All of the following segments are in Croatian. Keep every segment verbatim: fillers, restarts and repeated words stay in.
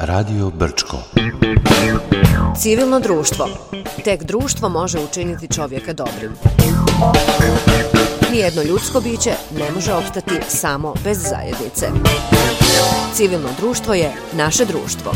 Radio Brčko. Civilno društvo. Tek društvo može učiniti čovjeka dobrim. Nijedno ljudsko biće ne može opstati samo bez zajednice. Civilno društvo je naše društvo.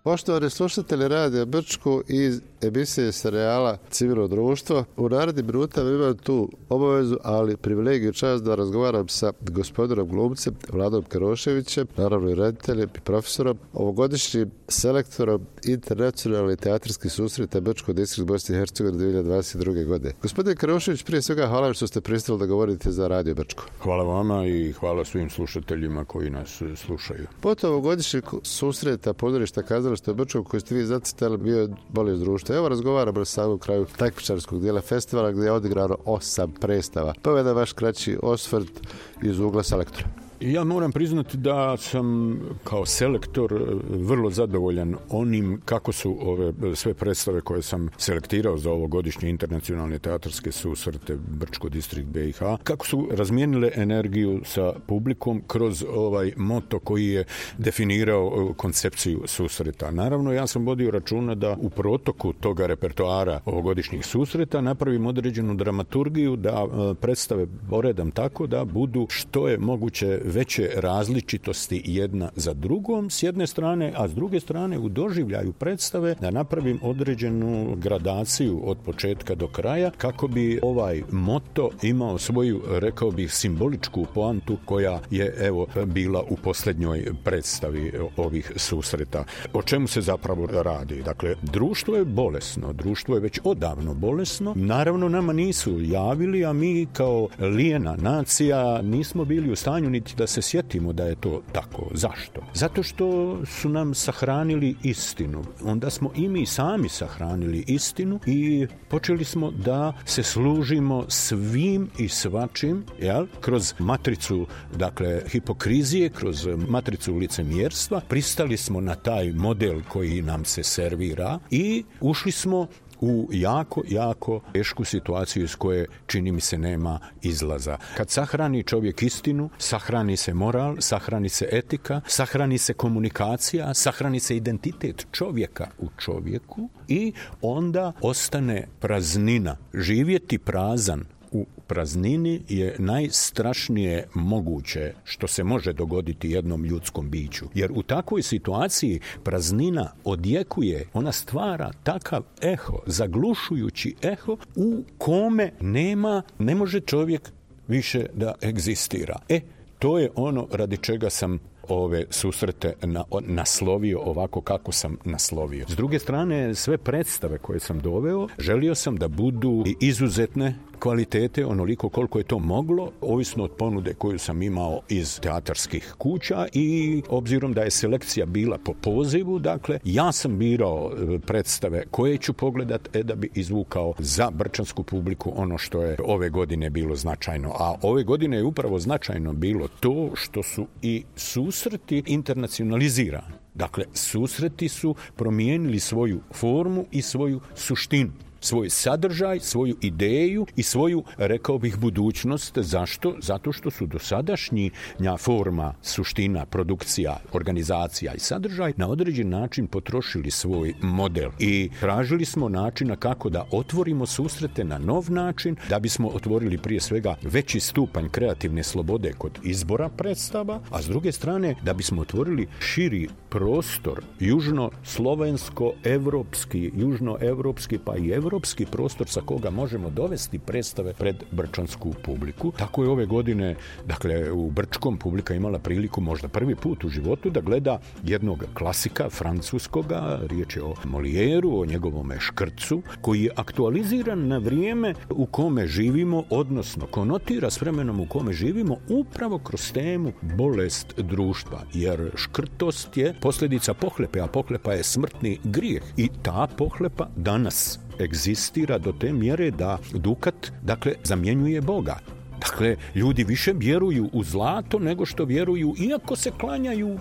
Poštovani slušatelji Radija Brčko iz emisije serijala Civilno društvo, u narednim minutama imam tu obavezu, ali privilegiju čast da razgovaram sa gospodinom glumcem Vladom Keroševićem, naravno i rediteljem i profesorom, ovogodišnjim selektorom internacionalnih teatarskih susreta Brčko distrikt Bosne i Hercegovine dvije hiljade dvadeset druge. godine. Gospodin Kerošević, prije svega hvala što ste pristali da govorite za Radio Brčko. Hvala vama i hvala svim slušateljima koji nas slušaju. Potom ovogodišnjeg susreta pozorišta kazališta u Brčkom koji ste vi zacitali bio je Bolest društva. Evo razgovaramo na samom kraju takmičarskog dijela festivala gdje je odigrano osam predstava. Pa je vaš kraći osvrt iz ugla selektora. Ja moram priznati da sam kao selektor vrlo zadovoljan onim kako su ove sve predstave koje sam selektirao za ovogodišnje internacionalne teatarske susrete Brčko distrikt B i H, kako su razmijenile energiju sa publikom kroz ovaj moto koji je definirao koncepciju susreta. Naravno, ja sam vodio računa da u protoku toga repertoara ovogodišnjih susreta napravim određenu dramaturgiju, da predstave poredam tako da budu što je moguće veće različitosti jedna za drugom s jedne strane, a s druge strane u doživljaju predstave da napravim određenu gradaciju od početka do kraja kako bi ovaj moto imao svoju, rekao bih, simboličku poantu koja je evo bila u posljednjoj predstavi ovih susreta. O čemu se zapravo radi? Dakle, društvo je bolesno, društvo je već odavno bolesno. Naravno, nama nisu javili, a mi kao lijena nacija nismo bili u stanju niti da se sjetimo da je to tako. Zašto? Zato što su nam sahranili istinu. Onda smo i mi sami sahranili istinu i počeli smo da se služimo svim i svačim, jel? Kroz matricu, dakle, hipokrizije, kroz matricu licemjerstva. Pristali smo na taj model koji nam se servira i ušli smo u jako, jako tešku situaciju iz koje, čini mi se, nema izlaza. Kad sahrani čovjek istinu, sahrani se moral, sahrani se etika, sahrani se komunikacija, sahrani se identitet čovjeka u čovjeku i onda ostane praznina. Živjeti prazan u praznini je najstrašnije moguće što se može dogoditi jednom ljudskom biću. Jer u takvoj situaciji praznina odjekuje, ona stvara takav eho, zaglušujući eho u kome nema, ne može čovjek više da egzistira. E, to je ono radi čega sam ove susrete na, naslovio ovako kako sam naslovio. S druge strane, sve predstave koje sam doveo, želio sam da budu izuzetne kvalitete, onoliko koliko je to moglo, ovisno od ponude koju sam imao iz teatarskih kuća i obzirom da je selekcija bila po pozivu, dakle, ja sam birao predstave koje ću pogledat, e da bi izvukao za brčansku publiku ono što je ove godine bilo značajno. A ove godine je upravo značajno bilo to što su i susreti internacionalizirani. Dakle, susreti su promijenili svoju formu i svoju suštinu, svoj sadržaj, svoju ideju i svoju, rekao bih, budućnost. Zašto? Zato što su dosadašnja forma, suština, produkcija, organizacija i sadržaj na određen način potrošili svoj model i tražili smo načina kako da otvorimo susrete na nov način, da bismo otvorili prije svega veći stupanj kreativne slobode kod izbora predstava, a s druge strane da bismo otvorili širi prostor, južno-slovensko-evropski, južno-evropski pa i evropski europski prostor sa koga možemo dovesti predstave pred brčansku publiku. Tako je ove godine, dakle, u Brčkom publika imala priliku možda prvi put u životu da gleda jednog klasika francuskoga, riječ je o Molijeru, o njegovome Škrcu, koji je aktualiziran na vrijeme u kome živimo, odnosno konotira s vremenom u kome živimo upravo kroz temu bolest društva, jer škrtost je posljedica pohlepe, a pohlepa je smrtni grijeh i ta pohlepa danas egzistira do te mjere da Dukat, dakle, zamjenjuje Boga. Dakle, ljudi više vjeruju u zlato nego što vjeruju, iako se klanjaju e,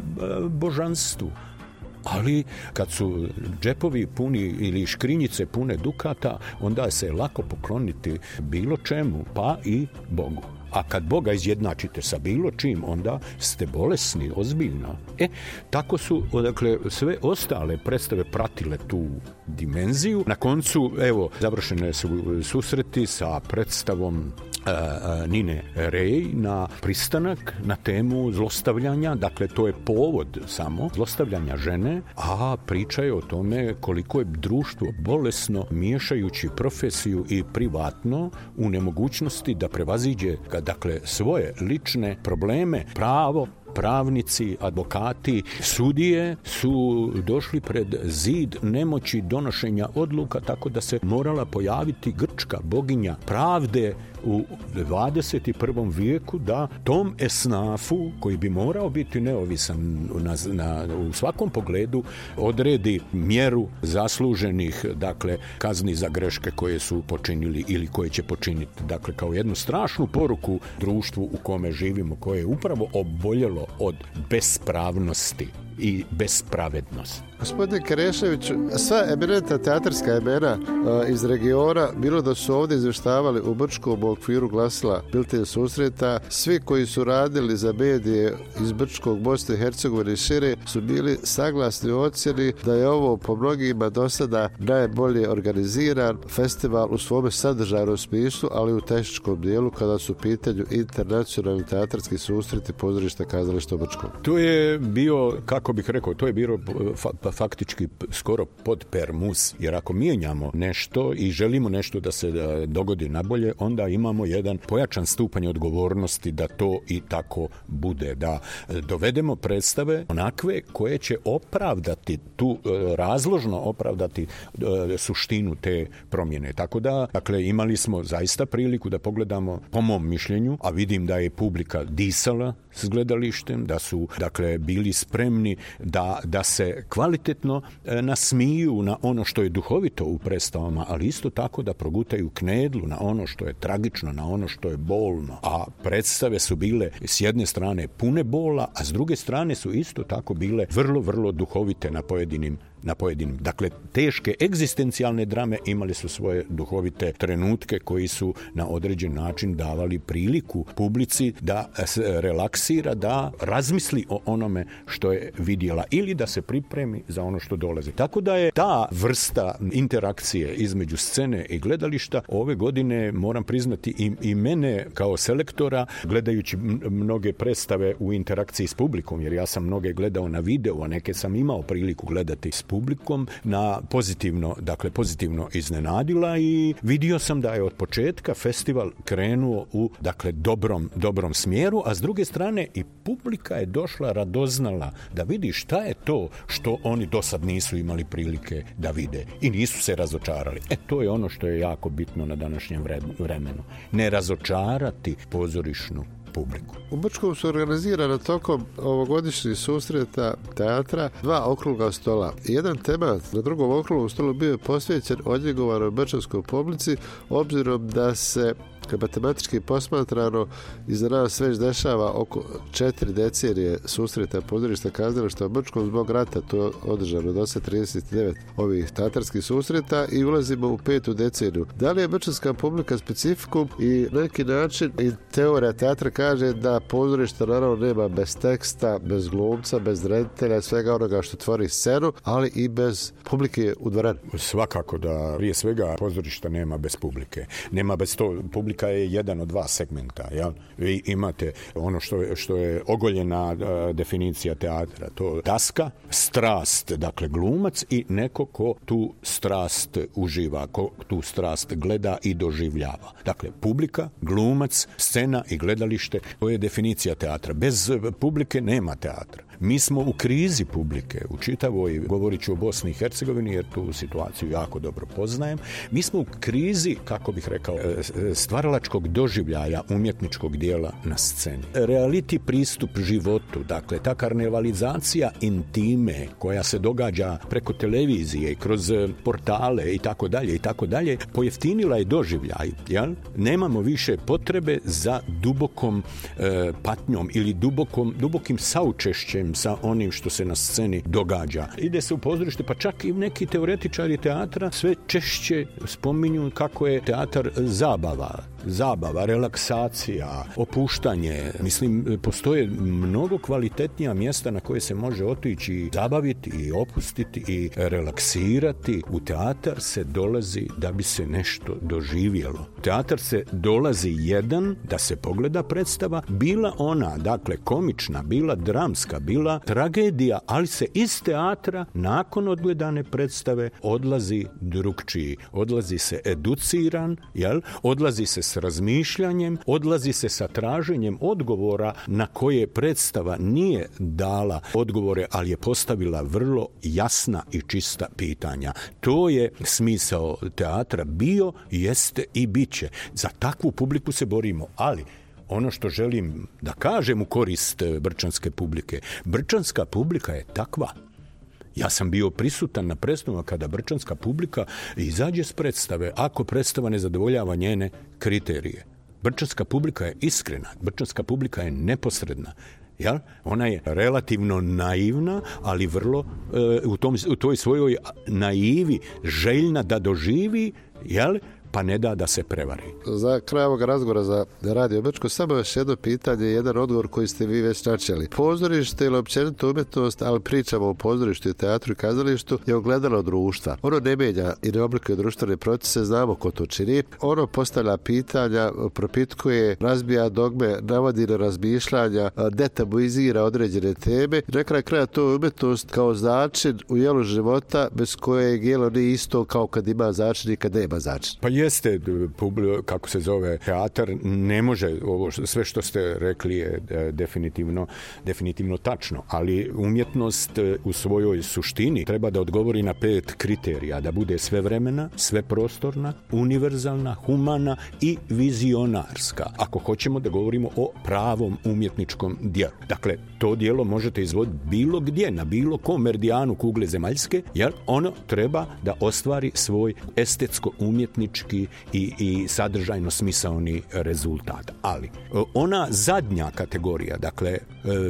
božanstvu. Ali kad su džepovi puni ili škrinjice pune dukata, onda se je lako pokloniti bilo čemu, pa i Bogu. A kad Boga izjednačite sa bilo čim, onda ste bolesni, ozbiljno. E, tako su, dakle, sve ostale predstave pratile tu dimenziju. Na koncu, evo, završene su susreti sa predstavom Uh, Nine Rej na pristanak na temu zlostavljanja, dakle to je povod samo zlostavljanja žene, a priča je o tome koliko je društvo bolesno miješajući profesiju i privatno u nemogućnosti da prevaziđe dakle svoje lične probleme. Pravo, pravnici, advokati, sudije su došli pred zid nemoći donošenja odluka, tako da se morala pojaviti grčka boginja pravde u dvadeset prvom vijeku da tom esnafu, koji bi morao biti neovisan na, na, u svakom pogledu, odredi mjeru zasluženih, dakle, kazni za greške koje su počinili ili koje će počiniti. Dakle, kao jednu strašnu poruku društvu u kome živimo, koje je upravo oboljelo od bespravnosti i bespravednosti. Gospodine Kerešević, sva eminentna teatarska imena uh, iz regiona, bilo da su ovdje izvještavali u Brčkom u okviru glasila Bilten susreta, svi koji su radili za medije iz Brčkog, Bosne i Hercegovine i šire, su bili saglasni u ocjeni da je ovo po mnogima do sada najbolje organiziran festival u svome sadržajnom smislu, ali u tehničkom dijelu kada su u pitanju internacionalni teatarski susreti pozorišta kazališta u Brčkom. To je bio, kako bih rekao, to je bilo fa- faktički skoro pod permus, jer ako mijenjamo nešto i želimo nešto da se dogodi nabolje, onda imamo jedan pojačan stupanj odgovornosti da to i tako bude, da dovedemo predstave onakve koje će opravdati tu, razložno opravdati suštinu te promjene. Tako da, dakle, imali smo zaista priliku da pogledamo, po mom mišljenju, a vidim da je publika disala s gledalištem, da su, dakle, bili spremni da, da se kvalitetno nasmiju na ono što je duhovito u predstavama, ali isto tako da progutaju knedlu na ono što je tragično, na ono što je bolno. A predstave su bile s jedne strane pune bola, a s druge strane su isto tako bile vrlo, vrlo duhovite na pojedinim na pojedinim. Dakle, teške egzistencijalne drame imali su svoje duhovite trenutke koji su na određen način davali priliku publici da se relaksira, da razmisli o onome što je vidjela ili da se pripremi za ono što dolazi. Tako da je ta vrsta interakcije između scene i gledališta ove godine, moram priznati, i, i mene kao selektora, gledajući mnoge predstave u interakciji s publikom, jer ja sam mnoge gledao na videu, a neke sam imao priliku gledati s publikom, na pozitivno, dakle pozitivno iznenadila i vidio sam da je od početka festival krenuo u, dakle, dobrom, dobrom smjeru, a s druge strane i publika je došla radoznala da vidi šta je to što oni do sad nisu imali prilike da vide i nisu se razočarali. E, to je ono što je jako bitno na današnjem vremenu. Ne razočarati pozorišnu publiku. U Brčkom su organizirana tokom ovogodišnjih susreta teatra dva okrugla stola. Jedan temat na drugom okruglom stolu bio je posvećen odljegovanoj brčanskoj publici, obzirom da se matematički posmatrano iza nas već dešava oko četiri decenije susreta pozorišta kazališta u Brčkom zbog rata. To je održano do sad trideset devet ovih teatarskih susreta i ulazimo u petu deceniju. Da li je brčanska publika specifikum i neki način i teorija teatra kaže da pozorište naravno nema bez teksta, bez glumca, bez reditelja, svega onoga što tvori scenu, ali i bez publike u dvorani. Svakako da prije svega pozorišta nema bez publike. Nema bez to, publika je jedan od dva segmenta. Jel? Vi imate ono što je, što je ogoljena uh, definicija teatra, to daska, strast, dakle glumac i neko ko tu strast uživa, ko tu strast gleda i doživljava. Dakle, publika, glumac, scena i gledalište, to je definicija teatra. Bez publike nema teatra. Mi smo u krizi publike, u čitavoj, govorit ću o Bosni i Hercegovini, jer tu situaciju jako dobro poznajem. Mi smo u krizi, kako bih rekao, stvaralačkog doživljaja umjetničkog dijela na sceni. Reality pristup životu, dakle, ta karnevalizacija intime koja se događa preko televizije i kroz portale i tako dalje i tako dalje, pojeftinila je doživljaj, jel? Nemamo više potrebe za dubokom e, patnjom ili dubokom, dubokim saučešćem sa onim što se na sceni događa. Ide se u pozorište, pa čak i neki teoretičari teatra sve češće spominju kako je teatar zabava, zabava, relaksacija, opuštanje. Mislim, postoje mnogo kvalitetnija mjesta na koje se može otići, zabaviti i opustiti i relaksirati. U teatar se dolazi da bi se nešto doživjelo. Teatar se dolazi jedan da se pogleda predstava, bila ona, dakle, komična, bila dramska, bila tragedija, ali se iz teatra nakon odgledane predstave odlazi drugčiji. Odlazi se educiran, jel? Odlazi se s razmišljanjem, odlazi se sa traženjem odgovora na koje predstava nije dala odgovore, ali je postavila vrlo jasna i čista pitanja. To je smisao teatra bio, jeste i bit će. Za takvu publiku se borimo, ali ono što želim da kažem u korist brčanske publike, brčanska publika je takva. Ja sam bio prisutan na predstavama kada brčanska publika izađe s predstave ako predstava ne zadovoljava njene kriterije. Brčanska publika je iskrena, brčanska publika je neposredna. Jel? Ona je relativno naivna, ali vrlo e, u, tom, u toj svojoj naivi željna da doživi, jel? Pa ne da da se prevari. Za kraj ovog razgovora za Radio Brčko samo još jedno pitanje, jedan odgovor koji ste vi već načeli. Pozorište ili općenito umjetnost, ali pričamo o pozorištu i teatru i kazalištu, je ogledalo društva. Ono ne mijenja i ne oblikuje društvene procese, znamo ko to čini. Ono postavlja pitanja, propitkuje, razbija dogme, navodi na razmišljanja, detabuizira određene teme. Na kraju kraja to je umjetnost kao začin u jelu života bez kojeg jelo nije isto kao kad ima začin i kad nema začin. Pa jeste, kako se zove, teatar ne može, ovo sve što ste rekli je definitivno, definitivno tačno, ali umjetnost u svojoj suštini treba da odgovori na pet kriterija, da bude svevremena, sveprostorna, univerzalna, humana i vizionarska, ako hoćemo da govorimo o pravom umjetničkom dijelu. Dakle, to dijelo možete izvoditi bilo gdje, na bilo kom meridijanu kugle zemaljske, jer ono treba da ostvari svoj estetsko-umjetnički I, i sadržajno smisaoni rezultat. Ali ona zadnja kategorija, dakle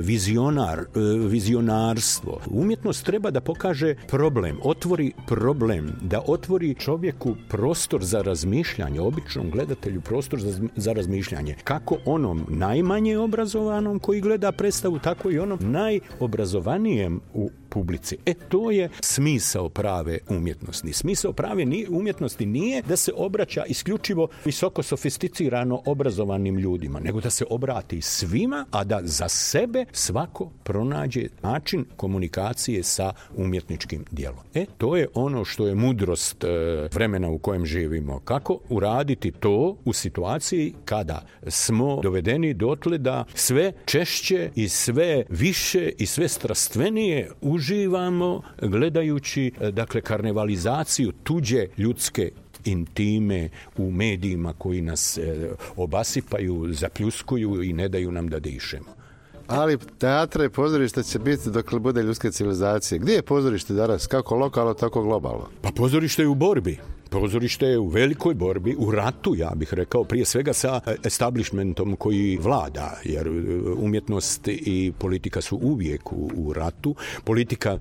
vizionar, vizionarstvo, umjetnost treba da pokaže problem, otvori problem, da otvori čovjeku prostor za razmišljanje, običnom gledatelju prostor za, za razmišljanje. Kako onom najmanje obrazovanom koji gleda predstavu, tako i onom najobrazovanijem u publici. E, to je smisao prave umjetnosti. Smisao prave umjetnosti nije da se obraća isključivo visoko sofisticirano obrazovanim ljudima, nego da se obrati svima, a da za sebe svako pronađe način komunikacije sa umjetničkim djelom. E, to je ono što je mudrost e, vremena u kojem živimo. Kako uraditi to u situaciji kada smo dovedeni dotle da sve češće i sve više i sve strastvenije uživamo gledajući, dakle, karnevalizaciju tuđe ljudske intime u medijima koji nas e, obasipaju, zapljuskuju i ne daju nam da dišemo. Ali teatra i pozorište će biti dokle bude ljudske civilizacije. Gdje je pozorište danas? Kako lokalno, tako globalno? Pa pozorište je u borbi. Pozorište je u velikoj borbi, u ratu, ja bih rekao, prije svega sa establishmentom koji vlada, jer umjetnost i politika su uvijek u, u ratu. Politika e,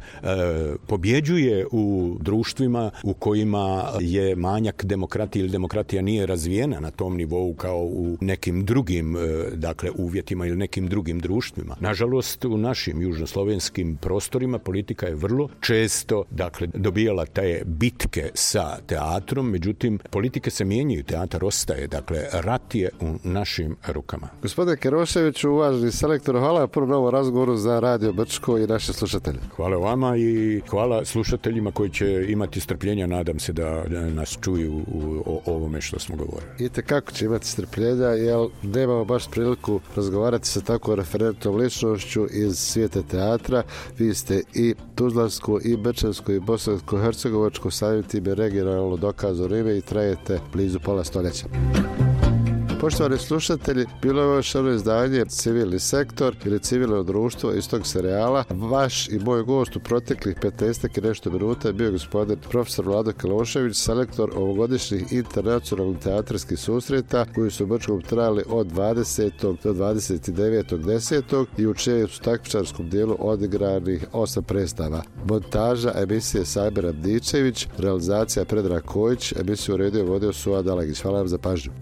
pobjeđuje u društvima u kojima je manjak demokratije ili demokratija nije razvijena na tom nivou kao u nekim drugim e, dakle, uvjetima ili nekim drugim društvima. Nažalost, u našim južnoslovenskim prostorima politika je vrlo često, dakle, dobijala te bitke sa teatrom, teatrom, međutim, politike se mijenjaju, teatar ostaje, dakle, rat je u našim rukama. Gospodine Keroševiću, uvaženi selektor, hvala na prvom novom razgovoru za Radio Brčko i naše slušatelje. Hvala vama i hvala slušateljima koji će imati strpljenja, nadam se da nas čuju u, o ovome što smo govorili. I kako će imati strpljenja, jer nemamo baš priliku razgovarati sa tako referentnom ličnošću iz svijeta teatra. Vi ste i tuzlansko, i bečansko, i bosansko-hercegovačko, samim time regionalno dokazano ime i trajete blizu pola stoljeća. Poštovani slušatelji, bilo je još jedno izdanje Civilni sektor ili Civilno društvo iz tog serijala. Vaš i moj gost u proteklih petnaestak i nešto minuta je bio gospodin profesor Vlado Kelošević, selektor ovogodišnjih internacionalnih teatarskih susreta koji su u Brčkom trajali od dvadesetog do dvadeset devetog desetog i u čijem su takmičarskom dijelu odigranih osam predstava. Montaža emisije Sajber Abdičević, realizacija Predrag Kojić, emisiju uredio vodio Suad Alagić. Hvala vam za pažnju.